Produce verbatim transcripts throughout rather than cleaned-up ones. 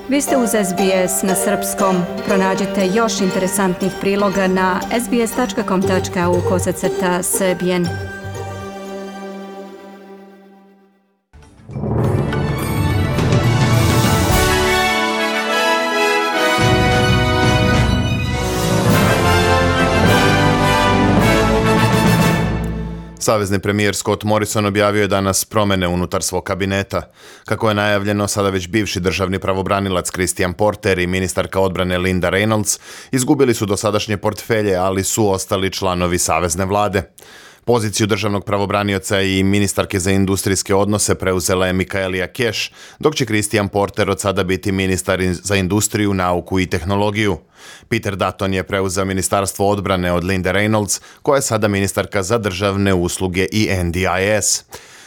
Vi ste uz S B S na srpskom. Pronađite još interesantnih priloga na sbs.com.au kosacrta srbijen. Savezni premijer Scott Morrison objavio je danas promjene unutar svog kabineta. Kako je najavljeno, sada već bivši državni pravobranilac Christian Porter i ministarka odbrane Linda Reynolds izgubili su dosadašnje portfelje, ali su ostali članovi savezne vlade. Poziciju državnog pravobranioca i ministarke za industrijske odnose preuzela je Michaelia Cash, dok će Christian Porter od sada biti ministar za industriju, nauku i tehnologiju. Peter Dutton je preuzeo ministarstvo odbrane od Linde Reynolds, koja je sada ministarka za državne usluge i N D I S.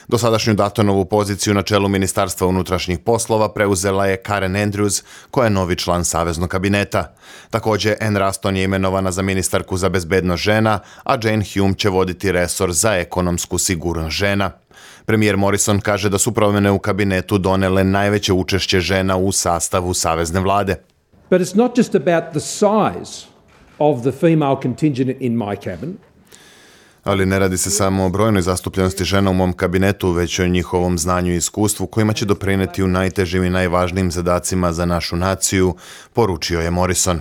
Dosadašnju Duttonovu poziciju na čelu Ministarstva unutrašnjih poslova preuzela je Karen Andrews, koja je novi član saveznog kabineta. Također, Anne Ruston je imenovana za ministarku za bezbednost žena, a Jane Hume će voditi resor za ekonomsku sigurnost žena. Premijer Morrison kaže da su promjene u kabinetu donele najveće učešće žena u sastavu savezne vlade. But it's not just about the size of the female contingent in my cabinet. Ali ne radi se samo o brojnoj zastupljenosti žena u mom kabinetu, već o njihovom znanju i iskustvu kojima će doprinijeti u najtežim i najvažnijim zadacima za našu naciju, poručio je Morrison.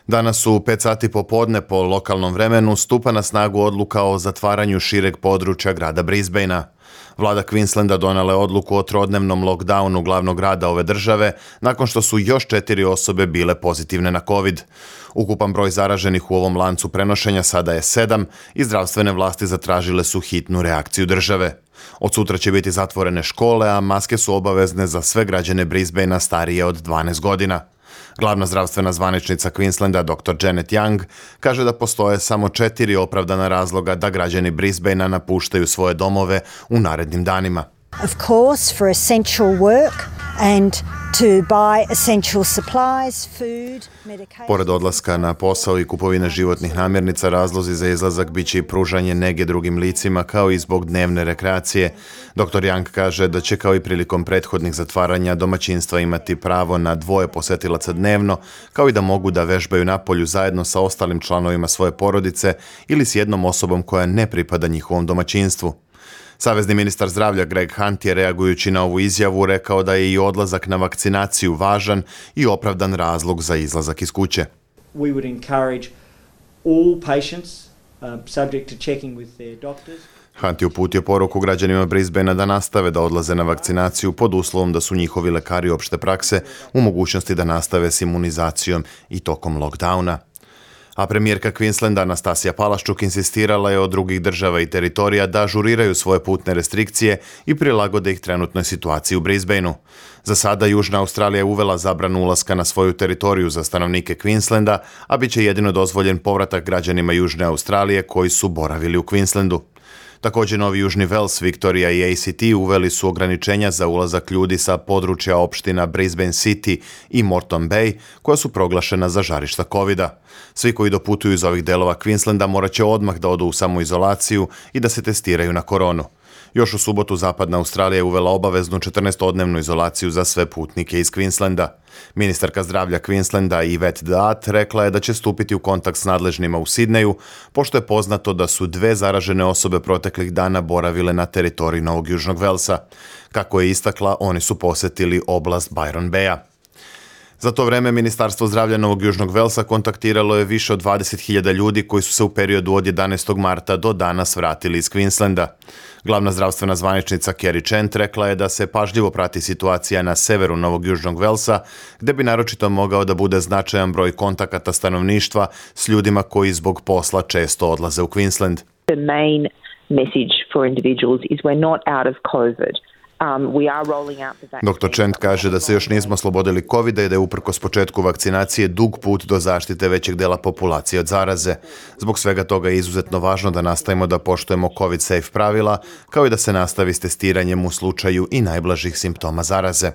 Danas u pet sati popodne po lokalnom vremenu stupa na snagu odluka o zatvaranju šireg područja grada Brisbanea. Vlada Queenslanda donela je odluku o trodnevnom lockdownu glavnog grada ove države nakon što su još četiri osobe bile pozitivne na COVID. Ukupan broj zaraženih u ovom lancu prenošenja sada je sedam i zdravstvene vlasti zatražile su hitnu reakciju države. Od sutra će biti zatvorene škole, a maske su obavezne za sve građane Brisbanea starije od dvanaest godina. Glavna zdravstvena zvaničnica Queenslanda, doktor Janet Young, kaže da postoje samo četiri opravdana razloga da građani Brisbanea napuštaju svoje domove u narednim danima. Of course, for essential work and to buy essential supplies, food, medication. Pored odlaska na posao i kupovine životnih namirnica, razlozi za izlazak biće i pružanje nege drugim licima, kao i zbog dnevne rekreacije. doktor Young kaže da će kao i prilikom prethodnih zatvaranja domaćinstva imati pravo na dvoje posetilaca dnevno, kao i da mogu da vežbaju napolju zajedno sa ostalim članovima svoje porodice ili s jednom osobom koja ne pripada njihovom domaćinstvu. Savezni ministar zdravlja Greg Hunt je, reagujući na ovu izjavu, rekao da je i odlazak na vakcinaciju važan i opravdan razlog za izlazak iz kuće. We would encourage all patients uh, subject to checking with their doctors. Hunt je uputio poruku građanima Brisbanea da nastave da odlaze na vakcinaciju pod uslovom da su njihovi lekari opšte prakse u mogućnosti da nastave s imunizacijom i tokom lockdowna. A premijerka Queenslanda Anastasija Palaščuk insistirala je od drugih država i teritorija da ažuriraju svoje putne restrikcije i prilagode ih trenutnoj situaciji u Brisbaneu. Za sada Južna Australija je uvela zabranu ulaska na svoju teritoriju za stanovnike Queenslanda, a bit će jedino dozvoljen povratak građanima Južne Australije koji su boravili u Queenslandu. Također Novi Južni Wales, Victoria i A C T uveli su ograničenja za ulazak ljudi sa područja opština Brisbane City i Moreton Bay, koja su proglašena za žarišta kovida. Svi koji doputuju iz ovih delova Queenslanda morat će odmah da odu u samoizolaciju i da se testiraju na koronu. Još u subotu Zapadna Australija je uvela obaveznu četrnaestodnevnu izolaciju za sve putnike iz Queenslanda. Ministarka zdravlja Queenslanda Yvette Daat rekla je da će stupiti u kontakt s nadležnima u Sidneju, pošto je poznato da su dve zaražene osobe proteklih dana boravile na teritoriji Novog Južnog Velsa. Kako je istakla, oni su posetili oblast Byron Baya. Za to vreme Ministarstvo zdravlja Novog Južnog Velsa kontaktiralo je više od dvadeset hiljada ljudi koji su se u periodu od jedanaestog marta do danas vratili iz Queenslanda. Glavna zdravstvena zvaničnica Kerry Chant rekla je da se pažljivo prati situacija na severu Novog Južnog Velsa, gde bi naročito mogao da bude značajan broj kontakata stanovništva s ljudima koji zbog posla često odlaze u Queensland. The main message for individuals is we're not out of COVID. doktor Chant kaže da se još nismo oslobodili kovida i da je uprkos početku vakcinacije dug put do zaštite većeg dela populacije od zaraze. Zbog svega toga je izuzetno važno da nastavimo da poštujemo COVID safe pravila, kao i da se nastavi s testiranjem u slučaju i najblažih simptoma zaraze.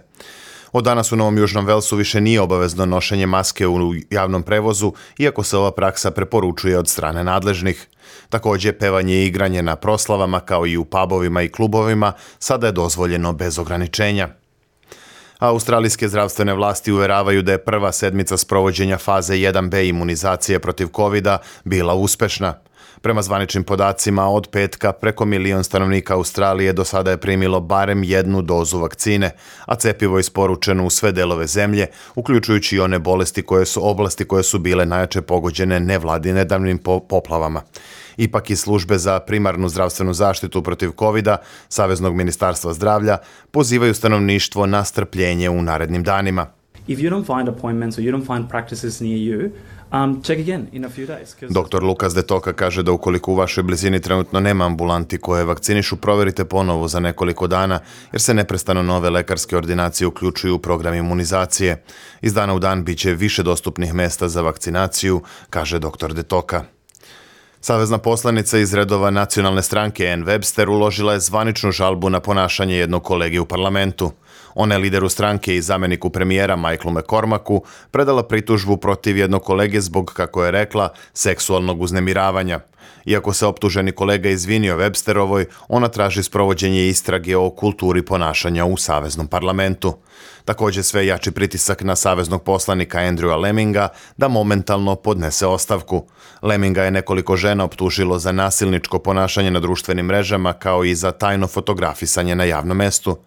Od danas u Novom Južnom Velsu više nije obavezno nošenje maske u javnom prevozu, iako se ova praksa preporučuje od strane nadležnih. Također, pevanje i igranje na proslavama, kao i u pubovima i klubovima, sada je dozvoljeno bez ograničenja. Australijske zdravstvene vlasti uveravaju da je prva sedmica sprovođenja faze jedan be imunizacije protiv kovida bila uspešna. Prema zvaničnim podacima, od petka preko milion stanovnika Australije do sada je primilo barem jednu dozu vakcine, a cepivo je isporučeno u sve delove zemlje, uključujući i one bolesti koje su oblasti koje su bile najjače pogođene nevladinedavnim poplavama. Ipak i službe za primarnu zdravstvenu zaštitu protiv kovida Saveznog ministarstva zdravlja pozivaju stanovništvo na strpljenje u narednim danima. If you don't find appointments or you don't find practices near you, um, check again in a few days. Doktor Lukas De Toka kaže da ukoliko u vašoj blizini trenutno nema ambulanti koje vakcinišu, proverite ponovo za nekoliko dana, jer se neprestano nove lekarske ordinacije uključuju u program imunizacije. Iz dana u dan biće više dostupnih mesta za vakcinaciju, kaže doktor De Toka. Savezna poslanica iz redova nacionalne stranke Ann Webster uložila je zvaničnu žalbu na ponašanje jednog kolege u parlamentu. Ona je lideru stranke i zameniku premijera Michaelu McCormacku predala pritužbu protiv jednog kolege zbog, kako je rekla, seksualnog uznemiravanja. Iako se optuženi kolega izvinio Websterovoj, ona traži sprovođenje istrage o kulturi ponašanja u Saveznom parlamentu. Također sve jači pritisak na saveznog poslanika Andrewa Lemminga da momentalno podnese ostavku. Lemminga je nekoliko žena optužilo za nasilničko ponašanje na društvenim mrežama kao i za tajno fotografisanje na javnom mestu.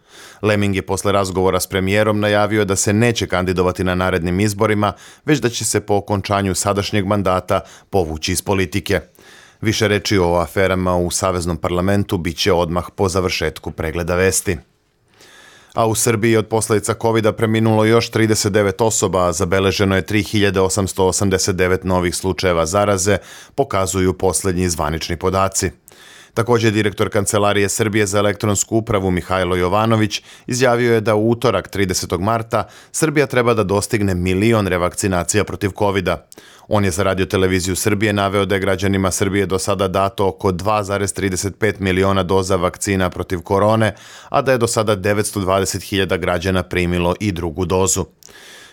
Lemming je posle razgovora s premijerom najavio da se neće kandidovati na narednim izborima, već da će se po okončanju sadašnjeg mandata povući iz politike. Više reči o aferama u Saveznom parlamentu biće odmah po završetku pregleda vesti. A u Srbiji od posljedica kovida preminulo još trideset devet osoba, a zabeleženo je tri hiljade osamsto osamdeset devet novih slučajeva zaraze, pokazuju posljednji zvanični podaci. Također, direktor Kancelarije Srbije za elektronsku upravu Mihajlo Jovanović izjavio je da u utorak tridesetog marta Srbija treba da dostigne milion revakcinacija protiv kovida. On je za Radio televiziju Srbije naveo da je građanima Srbije do sada dato oko dva zarez trideset pet miliona doza vakcina protiv korone, a da je do sada devetsto dvadeset hiljada građana primilo i drugu dozu.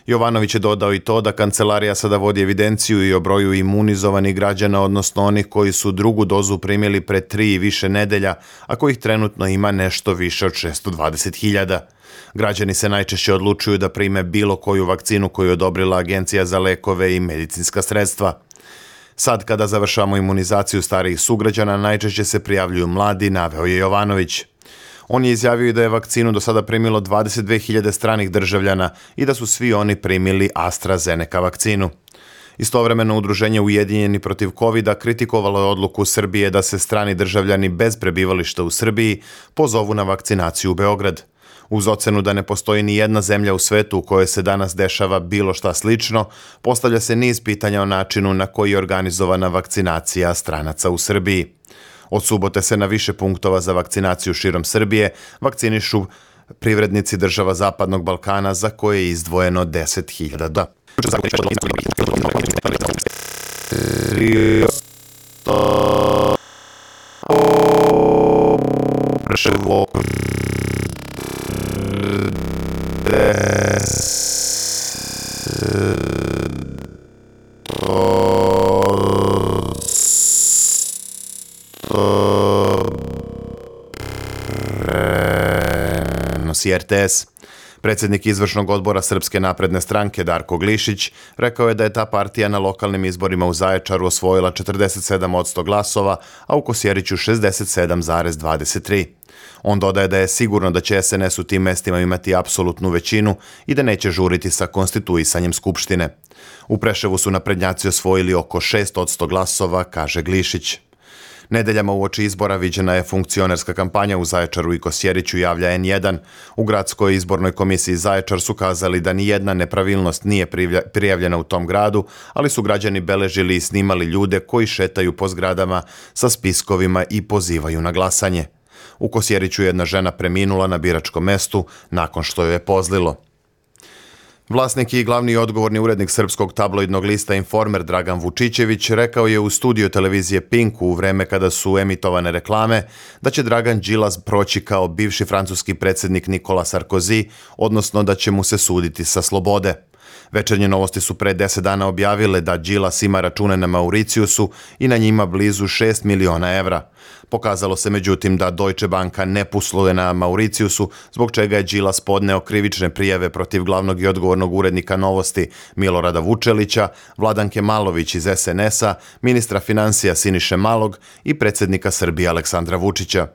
Jovanović je dodao i to da kancelarija sada vodi evidenciju i o broju imunizovanih građana, odnosno onih koji su drugu dozu primili pre tri i više nedelja, a kojih trenutno ima nešto više od šesto dvadeset hiljada. Građani se najčešće odlučuju da prime bilo koju vakcinu koju je odobrila Agencija za lekove i medicinska sredstva. Sad, kada završavamo imunizaciju starijih sugrađana, najčešće se prijavljuju mladi, naveo je Jovanović. On je izjavio da je vakcinu do sada primilo dvadeset dve hiljade stranih državljana i da su svi oni primili AstraZeneca vakcinu. Istovremeno, udruženje Ujedinjeni protiv kovida kritikovalo je odluku Srbije da se strani državljani bez prebivališta u Srbiji pozovu na vakcinaciju u Beograd. Uz ocenu da ne postoji ni jedna zemlja u svetu u kojoj se danas dešava bilo šta slično, postavlja se niz pitanja o načinu na koji je organizovana vakcinacija stranaca u Srbiji. Od subote se na više punktova za vakcinaciju širom Srbije vakcinišu privrednici država Zapadnog Balkana za koje je izdvojeno deset hiljada da. R T S. Predsjednik izvršnog odbora Srpske napredne stranke Darko Glišić rekao je da je ta partija na lokalnim izborima u Zaječaru osvojila četrdeset sedam posto glasova, a u Kosjeriću šezdeset sedam zarez dvadeset tri. On dodaje da je sigurno da će S N S u tim mestima imati apsolutnu većinu i da neće žuriti sa konstituisanjem Skupštine. U Preševu su naprednjaci osvojili oko šest posto glasova, kaže Glišić. Nedeljama uoči izbora viđena je funkcionerska kampanja u Zaječaru i Kosjeriću, javlja N jedan. U gradskoj izbornoj komisiji Zaječar su kazali da ni jedna nepravilnost nije prijavljena u tom gradu, ali su građani beležili i snimali ljude koji šetaju po zgradama sa spiskovima i pozivaju na glasanje. U Kosjeriću jedna žena preminula na biračkom mestu nakon što joj je pozlilo. Vlasnik i glavni odgovorni urednik srpskog tabloidnog lista Informer Dragan Vučićević rekao je u studiju televizije Pink u vreme kada su emitovane reklame da će Dragan Đilas proći kao bivši francuski predsjednik Nikola Sarkozy, odnosno da će mu se suditi sa slobode. Večernje novosti su pre deset dana objavile da Đilas ima račune na Mauricijusu i na njima blizu šest miliona evra. Pokazalo se međutim da Deutsche Banka ne posluje na Mauricijusu, zbog čega je Đilas podneo krivične prijave protiv glavnog i odgovornog urednika Novosti Milorada Vučelića, Vladanke Malović iz es en es a, ministra financija Siniše Malog i predsjednika Srbije Aleksandra Vučića.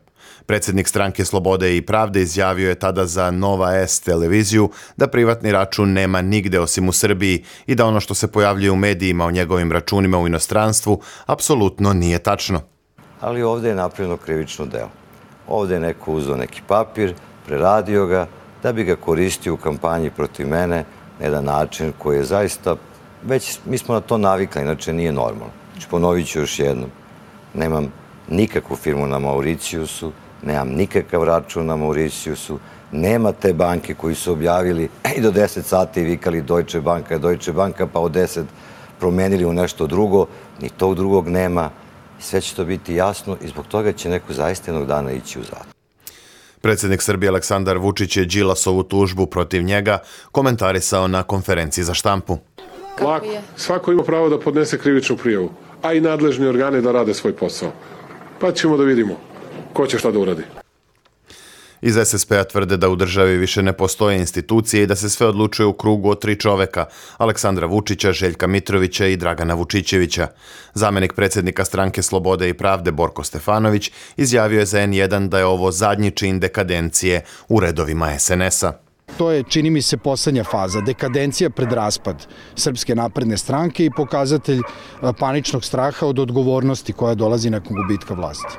Predsjednik Stranke Slobode i Pravde izjavio je tada za Nova S televiziju da privatni račun nema nigde osim u Srbiji i da ono što se pojavljuje u medijima o njegovim računima u inostranstvu apsolutno nije tačno. Ali ovdje je napravljeno krivično delo. Ovdje je neko uzeo neki papir, preradio ga, da bi ga koristio u kampanji protiv mene na jedan način koji je zaista, već mi smo na to navikli, inače nije normalno. Znači, ponovit ću još jednom, nemam nikakvu firmu na Mauricijusu, nemam nikakav račun na Mauricijusu, nema te banke koji su objavili i do deset sati vikali Deutsche Banka, Deutsche Banka, pa od deset promenili u nešto drugo, ni tog drugog nema. Sve će to biti jasno i zbog toga će neko zaista jednog dana ići u zatvor. Predsjednik Srbije Aleksandar Vučić je Đilasovu tužbu protiv njega komentarisao na konferenciji za štampu. Lako. Svako ima pravo da podnese krivičnu prijavu, a i nadležni organi da rade svoj posao. Pa ćemo da vidimo ko će šta da uradi. Iz es es pe a tvrde da u državi više ne postoje institucije i da se sve odlučuje u krugu od tri čoveka, Aleksandra Vučića, Željka Mitrovića i Dragana Vučićevića. Zamenik predsjednika Stranke Slobode i Pravde Borko Stefanović izjavio je za en jedan da je ovo zadnji čin dekadencije u redovima es en es a. To je, čini mi se, poslednja faza, dekadencija pred raspad Srpske napredne stranke i pokazatelj paničnog straha od odgovornosti koja dolazi nakon gubitka vlasti.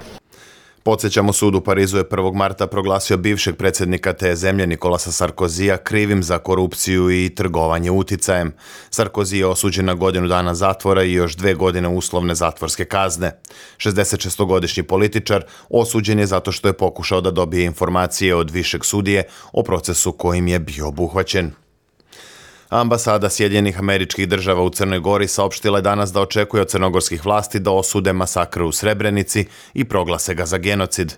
Podsjećamo, sud u Parizu je prvog marta proglasio bivšeg predsjednika te zemlje Nikolasa Sarkozija krivim za korupciju i trgovanje uticajem. Sarkozy je osuđen na godinu dana zatvora i još dve godine uslovne zatvorske kazne. šezdesetšestogodišnji političar osuđen je zato što je pokušao da dobije informacije od višeg sudije o procesu kojim je bio obuhvaćen. Ambasada Sjedinjenih Američkih Država u Crnoj Gori saopštila je danas da očekuje od crnogorskih vlasti da osude masakr u Srebrenici i proglase ga za genocid.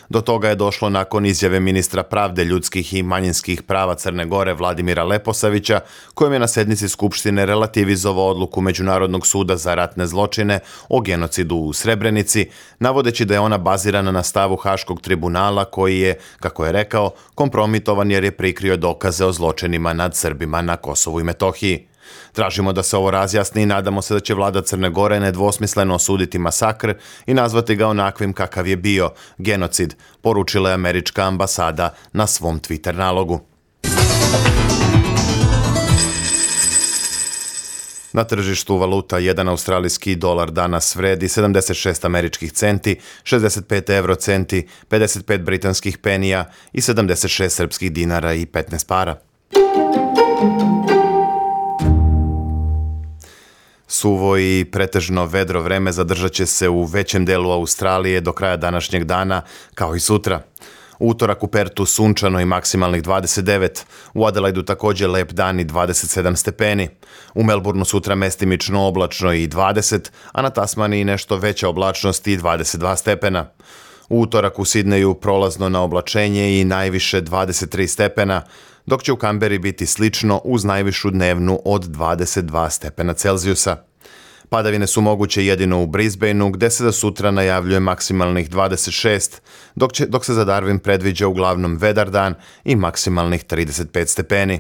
Do toga je došlo nakon izjave ministra pravde, ljudskih i manjinskih prava Crne Gore Vladimira Leposavića, kojem je na sednici Skupštine relativizovao odluku Međunarodnog suda za ratne zločine o genocidu u Srebrenici, navodeći da je ona bazirana na stavu Haškog tribunala koji je, kako je rekao, kompromitovan jer je prikrio dokaze o zločinima nad Srbima na Kosovu i Metohiji. Tražimo da se ovo razjasni i nadamo se da će vlada Crne Gore nedvosmisleno osuditi masakr i nazvati ga onakvim kakav je bio, genocid, poručila je američka ambasada na svom Twitter nalogu. Na tržištu valuta jedan australijski dolar danas vredi sedamdeset šest američkih centi, šezdeset pet euro centi, pedeset pet britanskih penija i sedamdeset šest srpskih dinara i petnaest para. Suvo i pretežno vedro vreme zadržat će se u većem delu Australije do kraja današnjeg dana, kao i sutra. U utorak u Pertu sunčano i maksimalnih dvadeset devet, u Adelaidu također lep dan i dvadeset sedam stepeni. U Melbourneu sutra mestimično oblačno i dvadeset, a na Tasmaniji nešto veća oblačnost i dvadeset dva stepena. U utorak u Sidneju prolazno na oblačenje i najviše dvadeset tri stepena, dok će u Kamberi biti slično uz najvišu dnevnu od dvadeset dva stepena Celzijusa. Padavine su moguće jedino u Brisbaneu, gde se za sutra najavljuje maksimalnih dvadeset šest, dok, će, dok se za Darwin predviđa uglavnom vedar dan i maksimalnih trideset pet stepeni.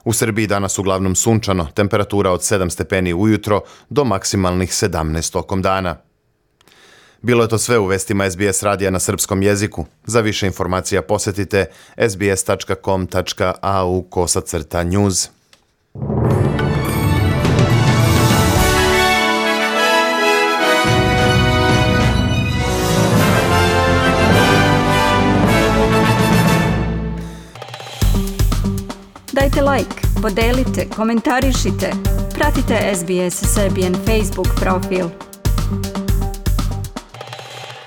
U Srbiji danas uglavnom sunčano, temperatura od sedam stepeni ujutro do maksimalnih sedamnaest tokom dana. Bilo je to sve u vestima es be es radija na srpskom jeziku. Za više informacija posjetite es be es tačka com tačka a u kosacrta news. Dajte like, podelite, komentarišite, pratite es be es Serbian Facebook profil.